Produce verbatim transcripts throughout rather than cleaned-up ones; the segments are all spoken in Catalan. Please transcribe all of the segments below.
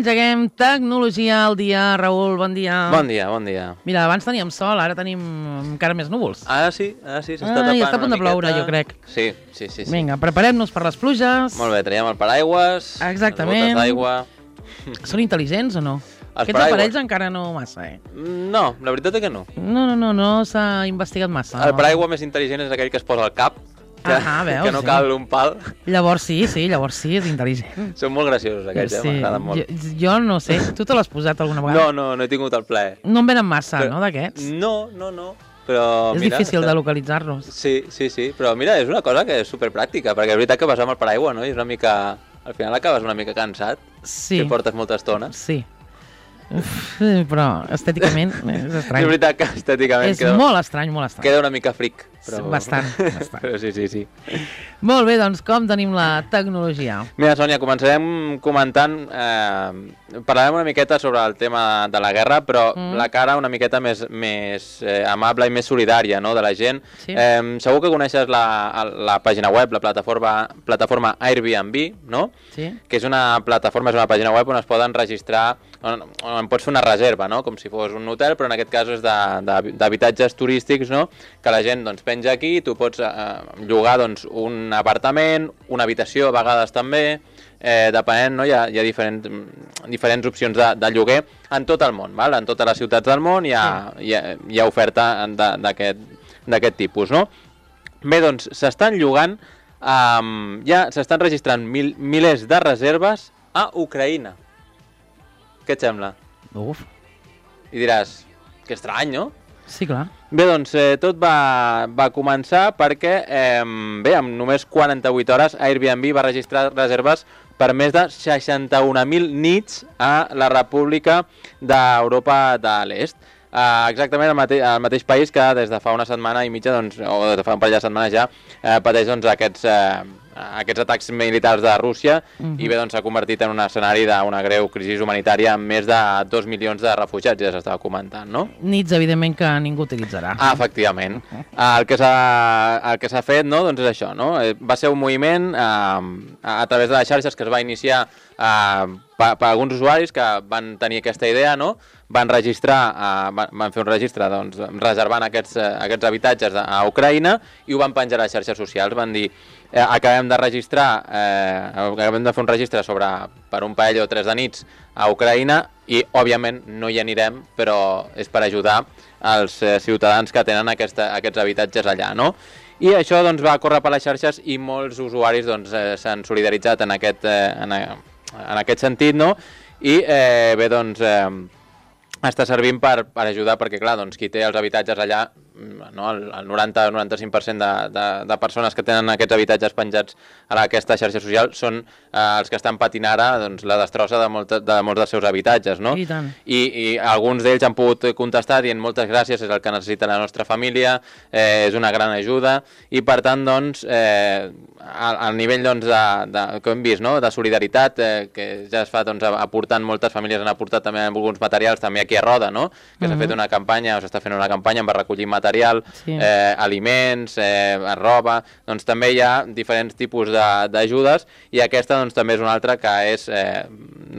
engeguem tecnologia al dia. Raül, bon dia. Bon dia, bon dia. Mira, abans teníem sol, ara tenim encara més núvols. Ara sí, ara sí, s'està Ah, tapant i està a punt una de ploure, miqueta. jo crec. Sí, sí, sí. sí. Vinga, preparem-nos per les pluges. Molt bé, traiem el paraigües, Exactament. les botes d'aigua... Són intel·ligents o no? Els Aquests paraigües. aparells encara no massa, eh? No, la veritat és que no. No, no, no, no s'ha investigat massa. El paraigua més intel·ligent és aquell que es posa al cap, que, Ah, veus, que no sí. cal un pal. Llavors sí, sí, llavors sí, és intel·ligent. Són molt graciosos aquests, eh? Sí. M'agraden molt. Jo, jo no sé, tu te l'has posat alguna vegada? No, no, no he tingut el plaer. No en venen massa, Però- no, d'aquests? No, no, no. Però, És mira, difícil està- de localitzar-los. Sí, sí, sí, però mira, és una cosa que és superpràctica, perquè és veritat que vas amb el paraigua, no? I és una mica... Al final acabes una mica cansat, Sí, que portes molta estona. sí. Uf, però estèticament és estrany. És veritat que estèticament És queda, molt estrany, molt estrany. queda una mica fric. Però... Bastant, bastant. però sí, sí, sí. Molt bé, doncs com tenim la tecnologia? Mira, Sònia, començarem comentant... Eh, parlarem una miqueta sobre el tema de la guerra, però Mm. la cara una miqueta més, més eh, amable i més solidària, no?, de la gent. Sí. Eh, segur que coneixes la, la pàgina web, la plataforma, plataforma Airbnb, no?, Sí? que és una plataforma, és una pàgina web on es poden registrar, on, on pots fer una reserva, no?, com si fos un hotel, però en aquest cas és de- de- d'habitatges turístics, no?, que la gent doncs, penja aquí, tu pots eh, llogar doncs, un apartament, una habitació a vegades també, eh, depenent, no?, hi ha, hi ha diferents, diferents opcions de, de lloguer en tot el món, val? En totes les ciutats del món hi ha, hi ha, hi ha oferta de- d'aquest d'aquest tipus, no? Bé, doncs s'estan llogant, um, ja s'estan registrant mil, milers de reserves a Ucraïna. Què et sembla? Uf, I diràs, que estrany, no? sí, clar. Bé, doncs eh, tot va, va començar perquè, eh, bé, en només quaranta-vuit hores Airbnb va registrar reserves per més de seixanta-un mil nits a la República d'Europa de l'Est. Uh, exactament el, mate el mateix país que des de fa una setmana i mitja, doncs, o des de fa un parell de setmanes ja, eh, pateix doncs, aquests, eh, aquests atacs militars de Rússia. Mhm. I bé, doncs s'ha convertit en un escenari d'una greu crisi humanitària amb més de dos milions de refugiats, ja s'estava comentant, no? Nits, evidentment, que ningú utilitzarà. Ah, efectivament. El que s'ha el que s'ha fet, no?, doncs és això, no? Eh, Va ser un moviment eh, a, a través de les xarxes que es va iniciar eh, per, per alguns usuaris que van tenir aquesta idea, no? Van registrar, eh, van, van fer un registre, doncs, reservant aquests, eh, aquests habitatges a, a Ucraïna i ho van penjar a les xarxes socials. Van dir, eh, acabem de registrar, eh, acabem de fer un registre sobre per un parell o tres de nits a Ucraïna i, òbviament, no hi anirem, però és per ajudar els eh, ciutadans que tenen aquesta, aquests habitatges allà, no? I això doncs, va córrer per les xarxes i molts usuaris doncs, eh, s'han solidaritzat en aquest, eh, en, en aquest sentit, no? I eh, bé, doncs, eh, està servint per, per ajudar, perquè clar, doncs, qui té els habitatges allà, no, el, el noranta a noranta-cinc per cent de, de, de persones que tenen aquests habitatges penjats a aquesta xarxa social són eh, els que estan patint ara doncs, la destrossa de, molta, de molts dels seus habitatges, no? I tant. I, i alguns d'ells han pogut contestar dient moltes gràcies, és el que necessita la nostra família, eh, és una gran ajuda, i per tant, doncs, eh, al, al nivell doncs, de, de, que hem vist, no?, de solidaritat, eh, que ja es fa doncs, aportant, moltes famílies han aportat també alguns materials, també aquí a Roda, no?, que s'ha Mhm. fet una campanya, o s'està fent una campanya per recollir material, Sí. eh, aliments, eh, roba, doncs també hi ha diferents tipus de- d'ajudes, i aquesta doncs, també és una altra que és eh,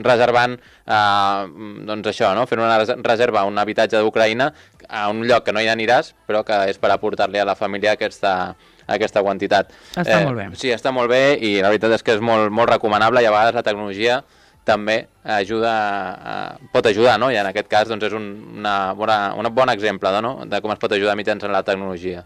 reservant, eh, doncs això, no?, fent una res- reserva a un habitatge d'Ucraïna a un lloc que no hi aniràs, però que és per aportar-li a la família aquesta, aquesta quantitat. Està molt bé. Sí, està molt bé, i la veritat és que és molt, molt recomanable, i a vegades la tecnologia també ajuda, a, pot ajudar, no? I en aquest cas doncs, és un, una, bona, un bon exemple, no?, de com es pot ajudar mitjançant la tecnologia.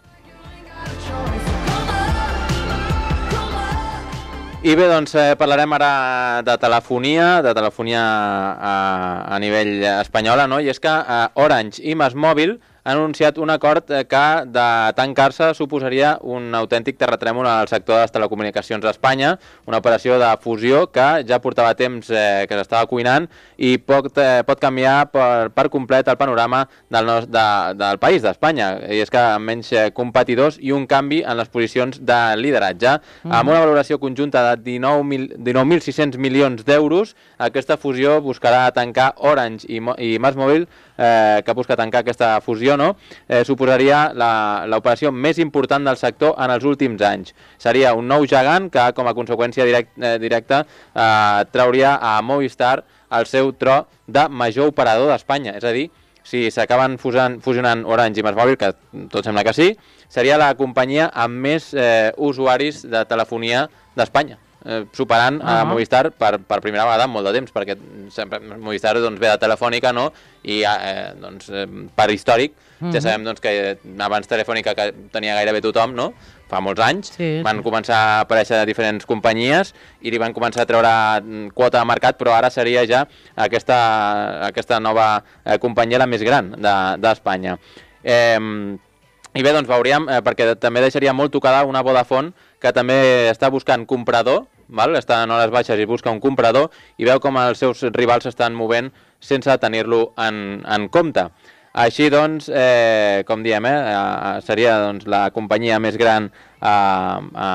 I bé, doncs eh, parlarem ara de telefonia, de telefonia a, a nivell espanyola, no? I és que eh, Orange i MásMóvil han anunciat un acord eh, que de tancar-se suposaria un autèntic terratrèmol al sector de les telecomunicacions a Espanya, una operació de fusió que ja portava temps eh, que s'estava cuinant i pot, eh, pot canviar per, per complet el panorama del, nos, de, del país, d'Espanya. I és que amb menys eh, competidors i un canvi en les posicions de lideratge. Mm. Amb una valoració conjunta de dinou mil sis-cents milions d'euros, aquesta fusió buscarà tancar Orange i, i MásMóvil, eh, que busca tancar aquesta fusió, no, eh, suposaria l'operació més important del sector en els últims anys. Seria un nou gegant que, com a conseqüència direct, eh, directa, eh, trauria a Movistar el seu tro de major operador d'Espanya. És a dir, si s'acaben fusionant Orange i MásMóvil, que tot sembla que sí, seria la companyia amb més eh, usuaris de telefonia d'Espanya, eh, superant uh -huh. a Movistar per, per primera vegada en molt de temps, perquè sempre Movistar doncs, ve de Telefònica, no? I eh, doncs, eh, per històric, uh -huh. ja sabem doncs, que abans Telefònica que tenia gairebé tothom, no? Fa molts anys, sí, van sí. començar a aparèixer diferents companyies i li van començar a treure quota de mercat, però ara seria ja aquesta, aquesta nova eh, companyia la més gran d'Espanya. De, eh, I bé, doncs veuríem, eh, perquè també deixaria molt tocada una Vodafone que també està buscant comprador, val? Està en hores baixes i busca un comprador i veu com els seus rivals s'estan movent sense tenir-lo en, en compte. Així doncs, eh, com diem, eh, seria doncs, la companyia més gran a, a,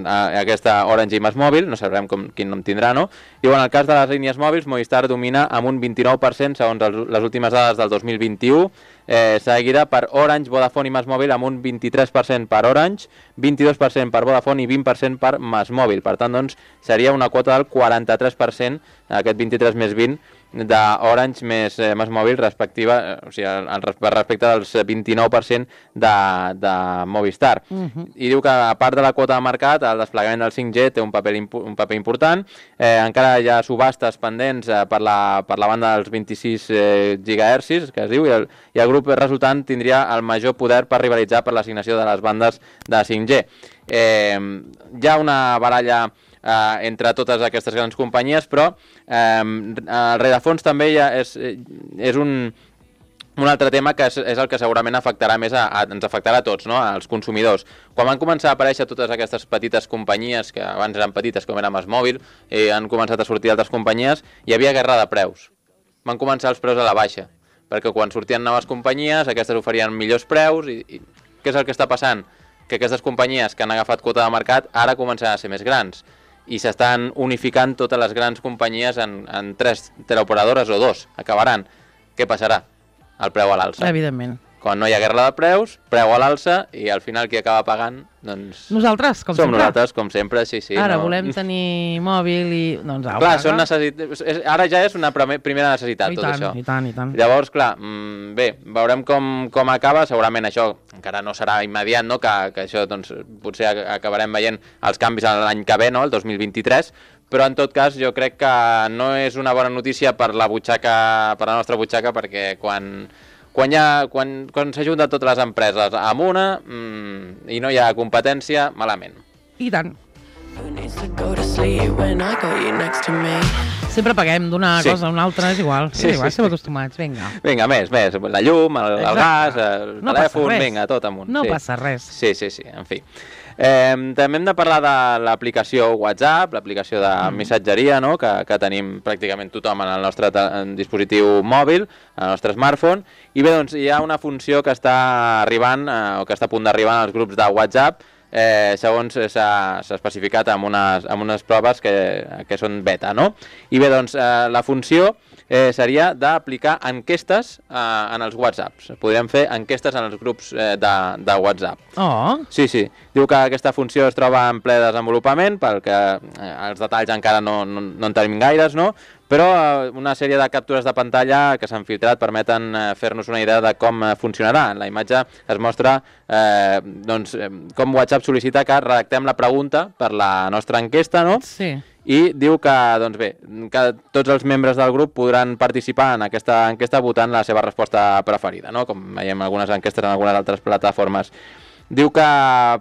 a aquesta Orange i MásMóvil, no sabrem com, quin nom tindrà, no? I en el cas de les línies mòbils, Movistar domina amb un vint-i-nou per cent segons el, les últimes dades del dos mil vint-i-u, eh, seguida per Orange, Vodafone i MásMóvil amb un vint-i-tres per cent per Orange, vint-i-dos per cent per Vodafone i vint per cent per MásMóvil. Per tant, doncs, seria una quota del quaranta-tres per cent, aquest vint-i-tres més vint, d'Orange més eh, MásMóvil respectiva, eh, o sigui, el, el, respecte dels vint-i-nou per cent de, de Movistar. Uh -huh. I diu que, a part de la quota de mercat, el desplegament del cinc G té un paper, un paper important. Eh, encara hi ha subhastes pendents eh, per, la, per la banda dels vint-i-sis eh, gigahertzis, que es diu, i el, i el grup resultant tindria el major poder per rivalitzar per l'assignació de les bandes de cinc G. Eh, hi ha una baralla Uh, entre totes aquestes grans companyies, però eh, el rerefons també ja és, és un, un altre tema que és, és el que segurament afectarà més a, a, ens afectarà a tots, no? Als consumidors. Quan van començar a aparèixer totes aquestes petites companyies, que abans eren petites com era MásMóvil, i han començat a sortir altres companyies, hi havia guerra de preus. Van començar els preus a la baixa, perquè quan sortien noves companyies, aquestes oferien millors preus, i, i què és el que està passant? Que aquestes companyies que han agafat quota de mercat ara comencen a ser més grans, i s'estan unificant totes les grans companyies en, en tres teleoperadores o dos. Acabaran. Què passarà? El preu a l'alça. Evidentment. Quan no hi ha guerra de preus, preu a l'alça, i al final qui acaba pagant, doncs... Nosaltres, com som sempre. Som nosaltres, com sempre, sí, sí. Ara no... volem tenir mòbil i... Doncs, au, clar, són necessit... ara ja és una primera necessitat, I tot tant, això. I tant, i tant. Llavors, clar, mmm, bé, veurem com, com acaba. Segurament això encara no serà immediat, no? Que, que això, doncs, potser acabarem veient els canvis l'any que ve, no? El dos mil vint-i-tres, però en tot cas jo crec que no és una bona notícia per la butxaca, per la nostra butxaca, perquè quan... Quan, ha, quan, quan s'ajunten totes les empreses amb una mmm, i no hi ha competència, malament. I tant. Sempre paguem d'una sí. cosa a una altra, és igual. Sí, és igual, sí, estem sí. acostumats, vinga. Vinga, més, més. La llum, el, el gas, el no telèfon, vinga, tot amunt. No sí. passa res. Sí, sí, sí, en fi. Eh, també hem de parlar de l'aplicació WhatsApp, l'aplicació de mm. missatgeria, no? que, que tenim pràcticament tothom en el nostre en dispositiu mòbil, en el nostre smartphone, i bé, doncs hi ha una funció que està arribant, eh, o que està a punt d'arribar als grups de WhatsApp, eh, segons s'ha especificat amb unes, amb unes proves que, que són beta, no? I bé, doncs eh, la funció eh, seria d'aplicar enquestes eh, en els WhatsApps. Podríem fer enquestes en els grups eh, de, de WhatsApp. Oh! Sí, sí. Diu que aquesta funció es troba en ple desenvolupament, perquè eh, els detalls encara no, no, no en tenim gaires, no? Però eh, una sèrie de captures de pantalla que s'han filtrat permeten eh, fer-nos una idea de com eh, funcionarà. En la imatge es mostra eh, doncs, eh, com WhatsApp sol·licita que redactem la pregunta per la nostra enquesta, no? Sí. I diu que, doncs bé, que tots els membres del grup podran participar en aquesta enquesta votant la seva resposta preferida, no? Com veiem algunes enquestes en algunes altres plataformes. Diu que uh,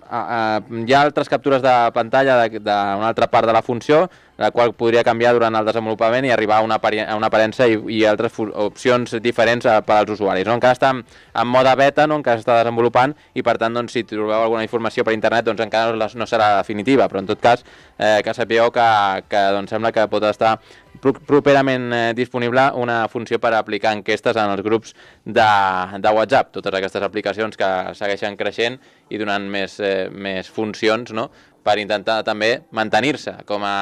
uh, hi ha altres captures de pantalla d'una altra part de la funció, la qual podria canviar durant el desenvolupament i arribar a una, a una aparença i, i altres opcions diferents a, per als usuaris. No? Encara està en, en mode beta, no? Encara s'està desenvolupant, i per tant, doncs, si trobeu alguna informació per internet, doncs encara no, no serà definitiva, però en tot cas eh, que sapigueu que, que doncs, sembla que pot estar properament eh, disponible una funció per aplicar enquestes en els grups de, de WhatsApp. Totes aquestes aplicacions que segueixen creixent i donant més, eh, més funcions, no? Per intentar també mantenir-se com a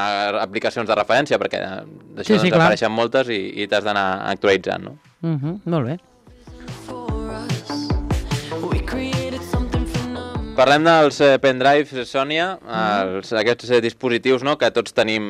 aplicacions de referència, perquè d'això sí, sí, doncs, apareixen moltes i, i t'has d'anar actualitzant, no? Uh-huh, molt bé. Parlem dels eh, pendrives, Sònia, els, aquests eh, dispositius, no?, que tots tenim,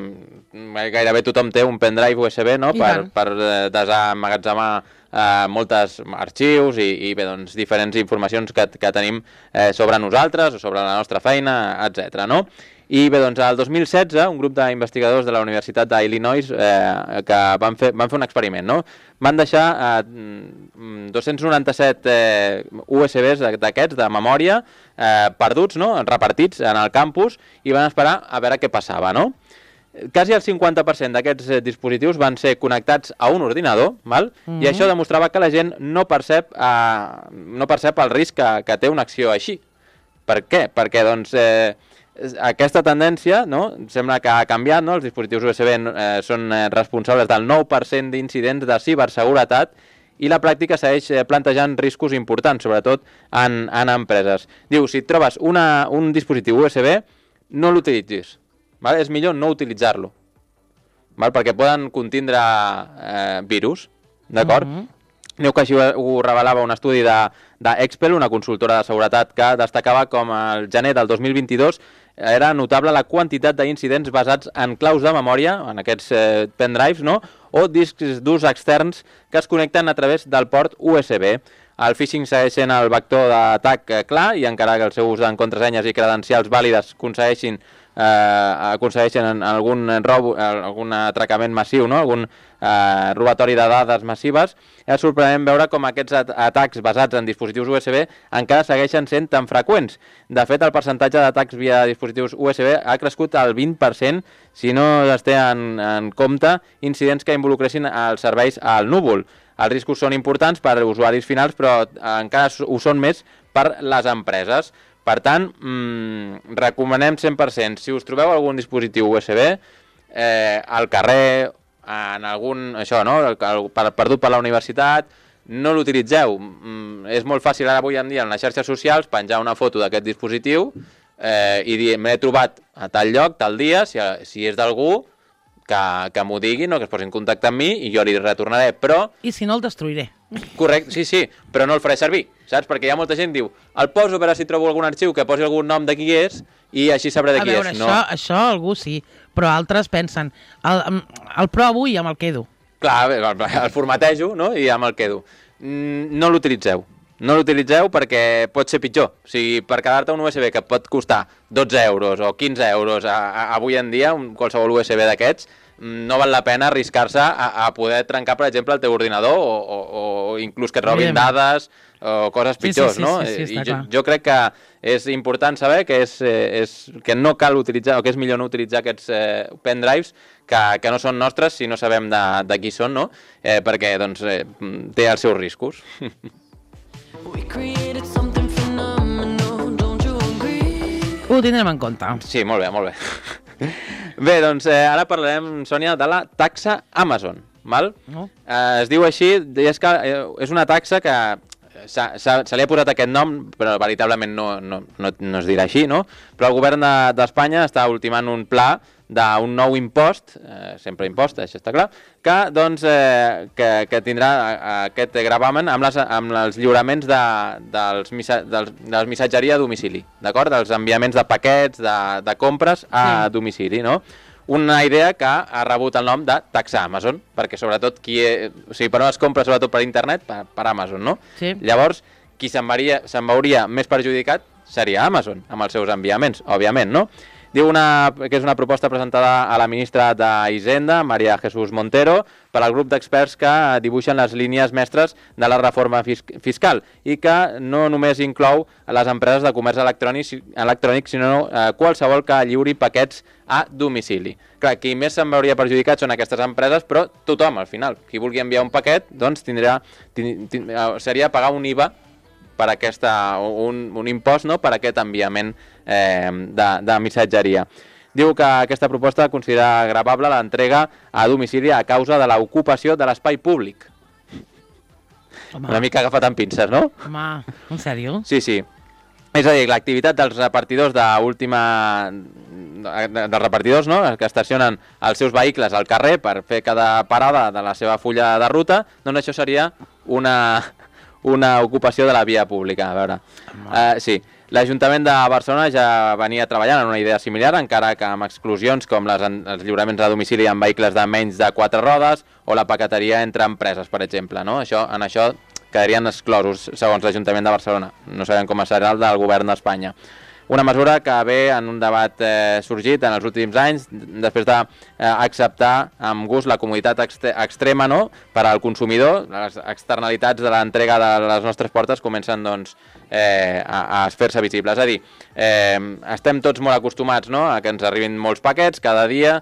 gairebé tothom té un pendrive U S B, no?, per, per eh, desemmagatzemar eh, moltes arxius i, i bé, doncs, diferents informacions que, que tenim eh, sobre nosaltres o sobre la nostra feina, etcètera, no? I bé, doncs, el dos mil setze, un grup d'investigadors de la Universitat d'Illinois eh, que van fer, van fer un experiment, no? Van deixar eh, dos-cents noranta-set eh, U S Bs d'aquests, de memòria, eh, perduts, no?, repartits en el campus, i van esperar a veure què passava, no? Quasi el cinquanta per cent d'aquests dispositius van ser connectats a un ordinador, val? Mm-hmm. I això demostrava que la gent no percep, eh, no percep el risc que, que té una acció així. Per què? Perquè, doncs... Eh, aquesta tendència, no?, sembla que ha canviat, no? Els dispositius U S B eh, són responsables del nou per cent d'incidents de ciberseguretat i la pràctica segueix plantejant riscos importants, sobretot en, en empreses. Diu, si et trobes una, un dispositiu U S B, no l'utilitzis. Vale? És millor no utilitzar-lo, vale? Perquè poden contindre eh, virus, d'acord? Mm-hmm. Diu que així ho revelava un estudi d'Expel, una consultora de seguretat, que destacava com el gener del dos mil vint-i-dos era notable la quantitat d'incidents basats en claus de memòria, en aquests eh, pendrives, no?, o discs d'ús externs que es connecten a través del port U S B. El phishing segueix sent el vector d'atac eh, clar, i encara que el seu ús en contrasenyes i credencials vàlides aconsegueixin eh, aconsegueixen algun robo, algun atracament massiu, no?, algun eh, robatori de dades massives, és sorprenent veure com aquests at atacs basats en dispositius U S B encara segueixen sent tan freqüents. De fet, el percentatge d'atacs via dispositius U S B ha crescut al vint per cent si no es té en, en compte incidents que involucressin els serveis al núvol. Els riscos són importants per a usuaris finals, però encara ho són més per les empreses. Per tant, mmm, recomanem cent per cent, si us trobeu algun dispositiu U S B eh, al carrer, en algun, això, no?, perdut per la universitat, no l'utilitzeu. Mm, és molt fàcil ara avui en dia en les xarxes socials penjar una foto d'aquest dispositiu eh, i dir, m'he trobat a tal lloc, tal dia, si, si és d'algú, que, que m'ho diguin, no?, que es posin en contacte amb mi i jo li retornaré, però... I si no, el destruiré. Correcte, sí, sí, però no el faré servir, saps? Perquè hi ha molta gent que diu, el poso per a si trobo algun arxiu que posi algun nom de qui és i així sabré de qui és. A veure, és. això, no? Això algú sí, però altres pensen, el, el provo i amb el quedo. Clar, el formatejo, no?, i amb el quedo. No l'utilitzeu. No l'utilitzeu perquè pot ser pitjor. O sigui, per quedar-te un U S B que pot costar dotze euros o quinze euros a, a, avui en dia, un, qualsevol U S B d'aquests, no val la pena arriscar-se a, a poder trencar, per exemple, el teu ordinador o, o, o inclús que et robin dades o coses pitjors, sí, sí, sí, no? Sí, sí, sí, I jo, jo crec que és important saber que, és, és, que no cal utilitzar, o que és millor no utilitzar aquests eh, pendrives que, que no són nostres si no sabem de, de qui són, no? Eh, perquè doncs, eh, té els seus riscos. Ho tindrem en compte. Sí, molt bé, molt bé. Bé, doncs eh, ara parlarem, Sònia, de la taxa Amazon, val? No. Eh, es diu així, és, que, eh, és una taxa que se, se, se li ha posat aquest nom, però veritablement no, no, no, no es dirà així, no? Però el govern d'Espanya de, està ultimant un pla d'un nou impost, eh, sempre impost, això està clar, que, doncs, eh, que, que tindrà aquest gravamen amb, les, amb els lliuraments de, dels, missa, dels, de les missatgeria a domicili, d'acord? Dels enviaments de paquets, de, de compres a sí. domicili, no? Una idea que ha rebut el nom de taxa Amazon, perquè sobretot qui... O sigui, per on es compra sobretot per internet, per, per Amazon, no? Sí. Llavors, qui se'n veuria, se'n veuria més perjudicat seria Amazon, amb els seus enviaments, òbviament, no? Diu una, que és una proposta presentada a la ministra d'Hisenda, María Jesús Montero, per al grup d'experts que dibuixen les línies mestres de la reforma fiscal i que no només inclou les empreses de comerç electrònic, electrònic sinó eh, qualsevol que lliuri paquets a domicili. Clar, qui més se'n veuria perjudicat són aquestes empreses, però tothom, al final. Qui vulgui enviar un paquet, doncs tindrà, tind, tind, seria pagar un I V A per aquesta, un, un impost, no?, per aquest enviament eh, de, de missatgeria. Diu que aquesta proposta considera gravable l'entrega a domicili a causa de l'ocupació de l'espai públic. Home. Una mica agafat amb pinces, no? Home, en sèrio? Sí, sí. És a dir, l'activitat dels repartidors d'última... dels repartidors, no?, que estacionen els seus vehicles al carrer per fer cada parada de la seva fulla de ruta, doncs això seria una... una ocupació de la via pública, a veure. Uh, sí. L'Ajuntament de Barcelona ja venia treballant en una idea similar, encara que amb exclusions com les, els lliuraments a domicili amb vehicles de menys de quatre rodes o la paqueteria entre empreses, per exemple. No? Això, en això quedarien exclosos, segons l'Ajuntament de Barcelona. No sabem com serà el del govern d'Espanya. Una mesura que ve en un debat eh, sorgit en els últims anys, després d'acceptar eh, amb gust la comoditat extrema, no?, per al consumidor. Les externalitats de l'entrega de les nostres portes comencen doncs, eh, a, a fer-se visibles. És a dir, eh, estem tots molt acostumats, no?, a que ens arribin molts paquets cada dia,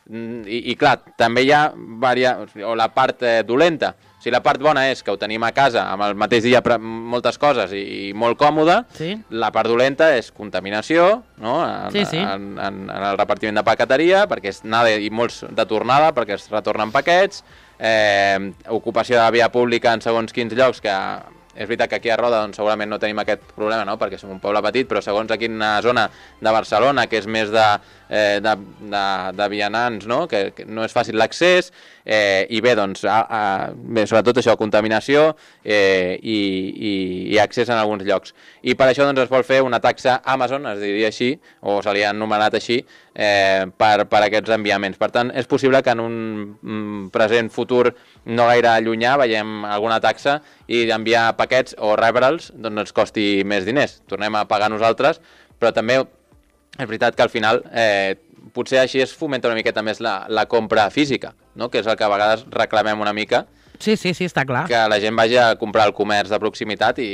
i, i clar, també hi ha varia... o la part eh, dolenta. Si la part bona és que ho tenim a casa amb el mateix dia moltes coses i, i molt còmode, sí. La part dolenta és contaminació, no? En, sí, sí. En, en, en el repartiment de paqueteria, perquè és anada i molts de tornada, perquè es retornen paquets, eh, ocupació de la via pública en segons quins llocs, que és veritat que aquí a Roda doncs, segurament no tenim aquest problema, no?, perquè som un poble petit, però segons aquí en una zona de Barcelona, que és més de, eh, de, de, de vianants, no?, que, que no és fàcil l'accés, eh, i bé, doncs, a, a, bé, sobretot això, contaminació eh, i, i, i accés en alguns llocs. I per això doncs, es vol fer una taxa Amazon, es diria així, o se li ha anomenat així, eh, per, per aquests enviaments. Per tant, és possible que en un mm, present futur no gaire llunyà veiem alguna taxa i enviar paquets o rebre'ls doncs ens costi més diners. Tornem a pagar nosaltres, però també és veritat que al final eh, potser així es fomenta una miqueta més la, la compra física, no?, que és el que a vegades reclamem una mica. Sí, sí, sí, està clar. Que la gent vagi a comprar al comerç de proximitat i,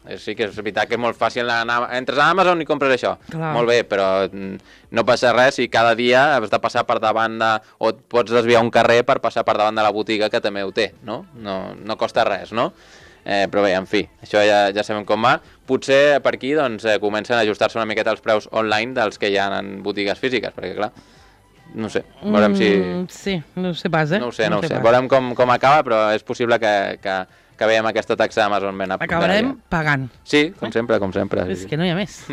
i sí que és veritat que és molt fàcil anar, entres a Amazon i compres això. Clar. Molt bé, però no passa res si cada dia has de passar per davant de... o et pots desviar un carrer per passar per davant de la botiga que també ho té, no? No, no costa res, no? Eh, però bé, en fi, això ja, ja sabem com va. Potser per aquí doncs, eh, comencen a ajustar-se una miqueta els preus online dels que hi ha en botigues físiques, perquè clar, no sé, veurem si... Mm, sí, no ho sé pas, eh? No ho sé, no, no ho sé, pas. Veurem com, com acaba, però és possible que, que, que veiem aquesta taxa d'Amazon ben a punt. Acabarem pagant. Sí, com eh? sempre, com sempre. És que no hi ha més.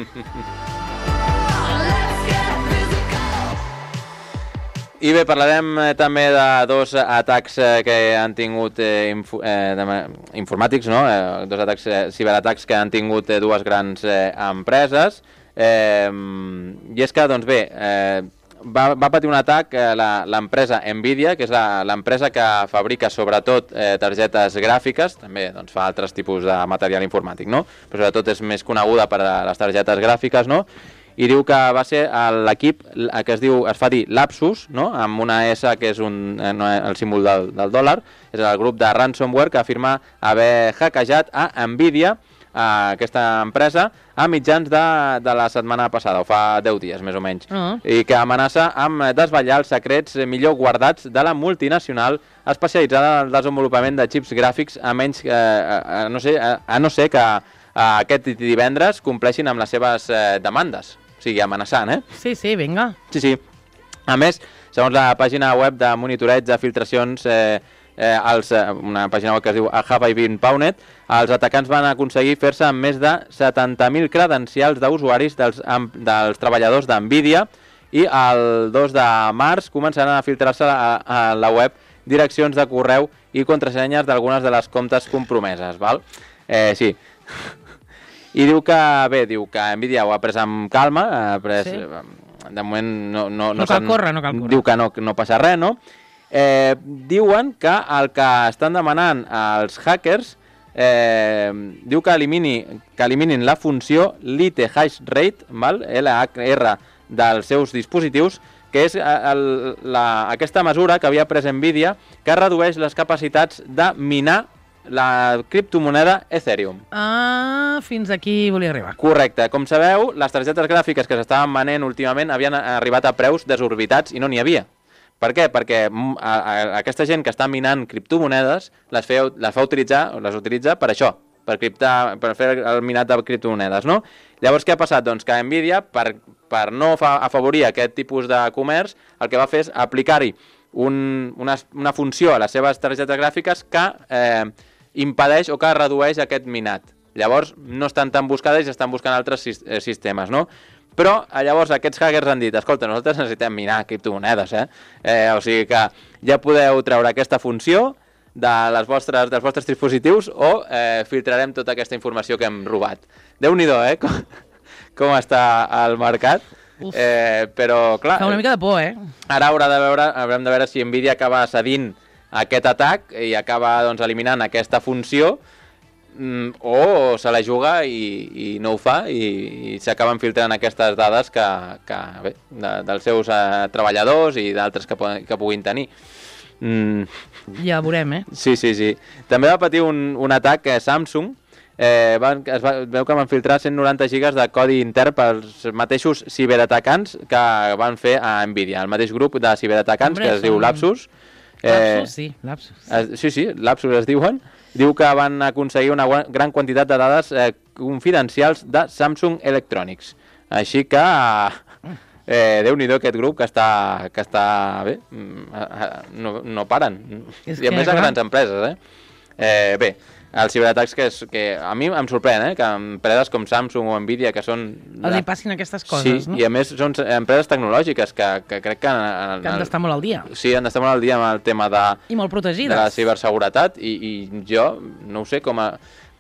I bé, parlarem eh, també de dos atacs eh, que han tingut eh, info, eh, de, informàtics, no? Eh, dos atacs, eh, ciberatacs que han tingut eh, dues grans eh, empreses. Eh, I és que, doncs bé, eh, va, va patir un atac eh, l'empresa Nvidia, que és l'empresa que fabrica sobretot eh, targetes gràfiques, també doncs, fa altres tipus de material informàtic, no? Però sobretot és més coneguda per a les targetes gràfiques, no? I diu que va ser l'equip que es diu, es fa dir Lapsus, no?, amb una S que és un, no, el símbol del, del dòlar, és el grup de ransomware que afirma haver hackejat a Nvidia, a aquesta empresa, a mitjans de, de la setmana passada, o fa deu dies més o menys, uh-huh. i que amenaça amb desvetllar els secrets millor guardats de la multinacional especialitzada en el desenvolupament de xips gràfics, a menys que, a, a, no sé, a, a no ser que a, aquest divendres compleixin amb les seves eh, demandes. O sigui, amenaçant, eh? Sí, sí, vinga. Sí, sí. A més, segons la pàgina web de monitoreig de filtracions, eh, eh, els, eh, una pàgina web que es diu Have I Been Pawned, els atacants van aconseguir fer-se amb més de setanta mil credencials d'usuaris dels, amb, dels treballadors d'Nvidia i el dos de març començaran a filtrar-se a, a la web direccions de correu i contrasenyes d'algunes de les comptes compromeses, val? Eh, sí. I diu que, bé, diu que Nvidia ho ha pres amb calma, ha pres, sí. de moment no... No, no, no cal córrer, no cal córrer. Diu que no, no passa res, no? Eh, diuen que el que estan demanant als hackers, eh, diu que, elimini, que eliminin la funció lite hash rate, val? L H R, dels seus dispositius, que és el, la, aquesta mesura que havia pres Nvidia, que redueix les capacitats de minar la criptomoneda Ethereum. Ah, fins aquí volia arribar. Correcte. Com sabeu, les targetes gràfiques que s'estaven venent últimament havien arribat a preus desorbitats i no n'hi havia. Per què? Perquè a, a, aquesta gent que està minant criptomonedes les, feu, les fa utilitzar, les utilitza per això, per, criptar, per fer el minat de criptomonedes, no? Llavors, què ha passat? Doncs que Nvidia, per, per no fa, afavorir aquest tipus de comerç, el que va fer és aplicar-hi un, una, una funció a les seves targetes gràfiques que eh, impedeix o que redueix aquest minat. Llavors, no estan tan buscades i estan buscant altres sistemes, no? Però, llavors, aquests hackers han dit, escolta, nosaltres necessitem minar criptomonedes, eh? eh? O sigui que ja podeu treure aquesta funció de les vostres, dels vostres dispositius o eh, filtrarem tota aquesta informació que hem robat. Déu-n'hi-do, eh? Com, com està el mercat. Eh, però, clar... Fa una mica de por, eh? Ara haurà de veure, haurem de veure si Nvidia acaba cedint aquest atac i acaba doncs, eliminant aquesta funció mm, o se la juga i, i no ho fa i, i s'acaben filtrant aquestes dades que, que, bé, de, dels seus eh, treballadors i d'altres que, que puguin tenir. Mm. Ja veurem, eh? Sí, sí, sí. També va patir un, un atac a Samsung. Eh, van, es va, veu que van filtrar cent noranta gigas de codi intern pels mateixos ciberatacants que van fer a Nvidia, el mateix grup de ciberatacants Hombre, que es són... diu Lapsus. Eh, Lapsus, sí, Lapsus. Es, sí, sí, Lapsus es diuen. Diu que van aconseguir una gran quantitat de dades eh, confidencials de Samsung Electronics. Així que... Eh, Déu-n'hi-do aquest grup que està, que està bé, no, no paren. És I a més a grans empreses, eh? eh bé, els ciberatacs que, és, que a mi em sorprèn, eh? Que empreses com Samsung o Nvidia, que són... Els hi passin aquestes coses, sí, no? I a més són empreses tecnològiques que, que crec que... En, en, que han d'estar molt al dia. Sí, han d'estar molt al dia amb el tema de... I molt protegides. De la ciberseguretat i, i jo no ho sé com a...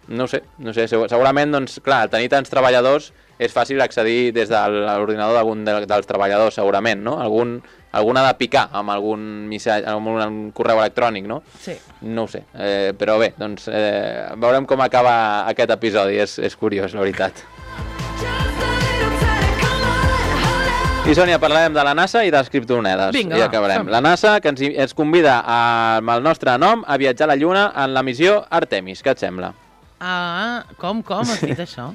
No ho sé, no sé, segurament, doncs, clar, tenir tants treballadors és fàcil accedir des de l'ordinador d'algun de, dels treballadors, segurament, no? Algun, algun ha de picar amb algun missatge, amb un correu electrònic, no? Sí. No ho sé, eh, però bé, doncs eh, veurem com acaba aquest episodi, és, és curiós, la veritat. I Sònia, parlarem de la NASA i de les criptomonedes. Vinga, i acabarem. som. La NASA, que ens, ens convida a, amb el nostre nom a viatjar a la Lluna en la missió Artemis. Què et sembla? Ah, com, com has dit això?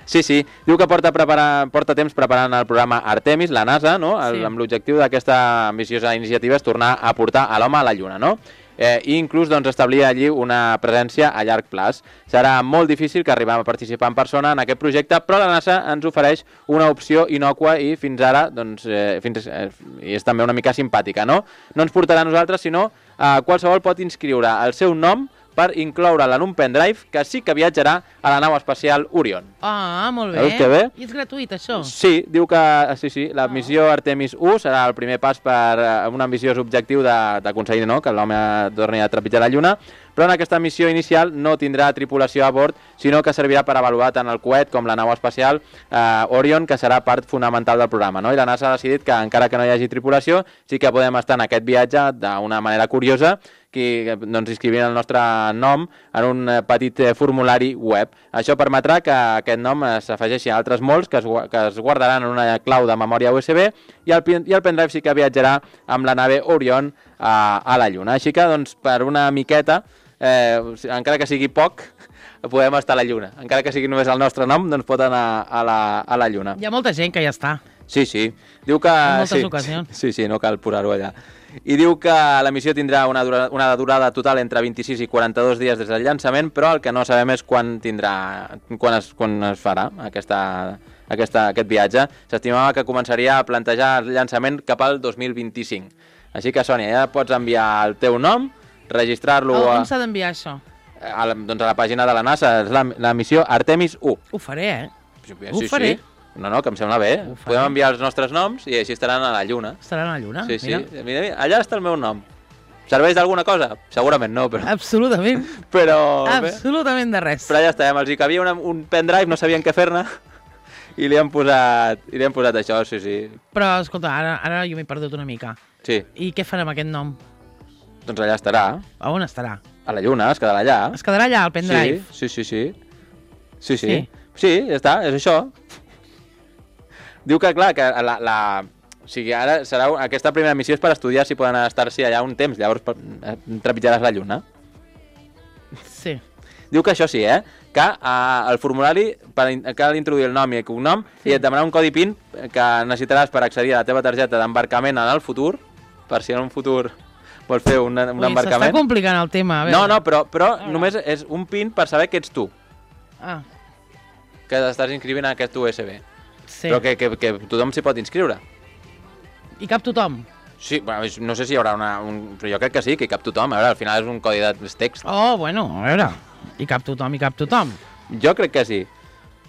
Sí, sí. Diu que porta, preparar, porta temps preparant el programa Artemis, la NASA, no? El, sí. Amb l'objectiu d'aquesta ambiciosa iniciativa és tornar a portar a l'home a la Lluna, no? Eh, I inclús doncs, establir allí una presència a llarg plaç. Serà molt difícil que arribem a participar en persona en aquest projecte, però la NASA ens ofereix una opció innòcua i fins ara doncs, eh, fins, eh, i és també una mica simpàtica, no? No ens portarà a nosaltres, sinó eh, qualsevol pot inscriure el seu nom per incloure'l en un pendrive que sí que viatjarà a la nau espacial Orion. Ah, molt bé. Veus que bé? I és gratuït, això? Sí, diu que sí, sí, la missió Artemis u serà el primer pas per un ambiciós objectiu d'aconseguir no, que l'home torni a trepitjar la Lluna, però en aquesta missió inicial no tindrà tripulació a bord, sinó que servirà per avaluar tant el coet com la nau espacial eh, Orion, que serà part fonamental del programa. No? I la NASA ha decidit que, encara que no hi hagi tripulació, sí que podem estar en aquest viatge d'una manera curiosa, que doncs, inscrivint el nostre nom en un petit formulari web. Això permetrà que aquest nom s'afegeixi a altres molts que es, que es guardaran en una clau de memòria U S B i el, i el pendrive sí que viatjarà amb la nave Orion a, a la Lluna. Així que, doncs, per una miqueta, eh, encara que sigui poc, podem estar a la Lluna. Encara que sigui només el nostre nom, doncs pot anar a la, a la Lluna. Hi ha molta gent que ja està. Sí, sí. Diu que... En moltes sí, ocasions. Sí, sí, no cal posar-ho allà. I diu que la missió tindrà una durada, una durada total entre vint-i-sis i quaranta-dos dies des del llançament, però el que no sabem és quan tindrà, quan es, quan es farà aquesta, aquesta, aquest viatge. S'estimava que començaria a plantejar el llançament cap al dos mil vint-i-cinc. Així que, Sònia, ja pots enviar el teu nom, registrar-lo... Oh, a... on s'ha d'enviar això? A la, doncs a la pàgina de la NASA, és la, la missió Artemis u. Ho faré, eh? Sí, Ho sí, faré. Sí. No, no, que em sembla bé. Podem enviar els nostres noms i així estaran a la Lluna. Estaran a la Lluna, sí, sí. mira. Mira, mira. Allà està el meu nom. Serveix d'alguna cosa? Segurament no, però... Absolutament. però... Absolutament de res. Però ja està, els hi cabia una, un pendrive, no sabien què fer-ne, i li han posat, i li han posat això, sí, sí. Però, escolta, ara, ara jo m'he perdut una mica. Sí. I què farem amb aquest nom? Doncs allà estarà. A on estarà? A la Lluna, es quedarà allà. Es quedarà allà, al pendrive? Sí, sí, sí, sí. Sí, sí. Sí, sí ja està, és això. Diu que, clar, que la, la... O sigui, ara serà... aquesta primera missió és per estudiar si poden estar-s'hi allà un temps, llavors trepitjaràs la Lluna. Sí. Diu que això sí, eh? Que uh, el formulari per, cal introduir el nom i el cognom sí. I et demanar un codi PIN que necessitaràs per accedir a la teva targeta d'embarcament en el futur, per si en un futur vols fer un, un Ui, embarcament. S'està complicant el tema. A veure. No, no, però, però només és un PIN per saber que ets tu. Ah. Que estàs inscrivint en aquest U S B. Sí. Però que, que, que tothom s'hi pot inscriure. I cap tothom? Sí, bueno, no sé si hi haurà una... Un, però jo crec que sí, que hi cap tothom. A veure, al final és un codi de text. Oh, bueno, a veure. I cap tothom, i cap tothom. Jo crec que sí.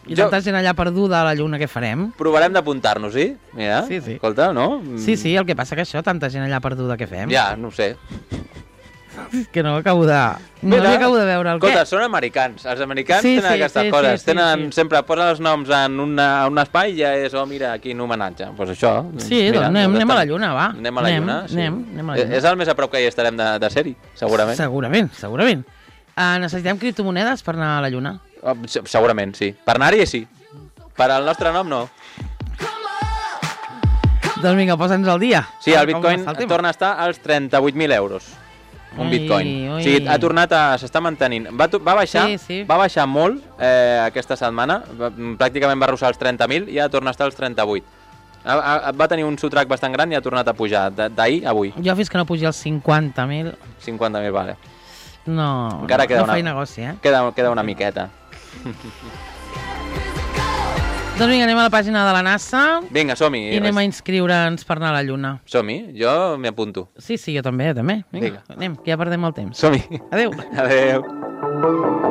I jo... tanta gent allà perduda a la Lluna, què farem? Provarem d'apuntar-nos, sí? Mira, sí, sí. Escolta, no? Sí, sí, el que passa que això, tanta gent allà perduda, què fem? Ja, no ho sé. Que no acabo de... No Mira, acabo de veure el escolta, què. són americans. Els americans Sí, tenen sí, aquestes sí, coses. sí, sí, tenen, sí. sempre posen els noms en una, un espai i ja és, oh, mira, quin homenatge. Doncs pues això. Sí, mira, doncs anem, anem a la estem- lluna, va. Anem a la lluna, sí. Anem, anem a la lluna. És el més a prop que hi estarem de, de ser-hi, segurament. Segurament, segurament. Uh, necessitem criptomonedes per anar a la lluna? Oh, se- segurament, sí. Per anar-hi, sí. Per al nostre nom, no. Doncs vinga, posa'ns al dia. Sí, el Com bitcoin està el tema? torna a estar als trenta-vuit mil euros. Un Ui, bitcoin. ui. O sigui, ha tornat a... s'està mantenint. Va, to- va baixar Sí, sí. va baixar molt eh, aquesta setmana. Va, pràcticament va arrossar els trenta mil i ja torna a estar als trenta-vuit. Ha, ha, va tenir un sotrac bastant gran i ha tornat a pujar. De- D'ahir a avui. Jo fins que no pugi als cinquanta mil, cinquanta mil, vale. no, Encara no, queda no una- faig negoci, eh? Queda, queda una miqueta. Doncs vinga, anem a la pàgina de la NASA Vinga, som-hi. i anem a inscriure'ns per anar a la lluna. Som-hi. Jo m'hi apunto. Sí, sí, jo també, també. Vinga, Vinga. anem, que ja perdem el temps. Som-hi. Adéu. Adéu.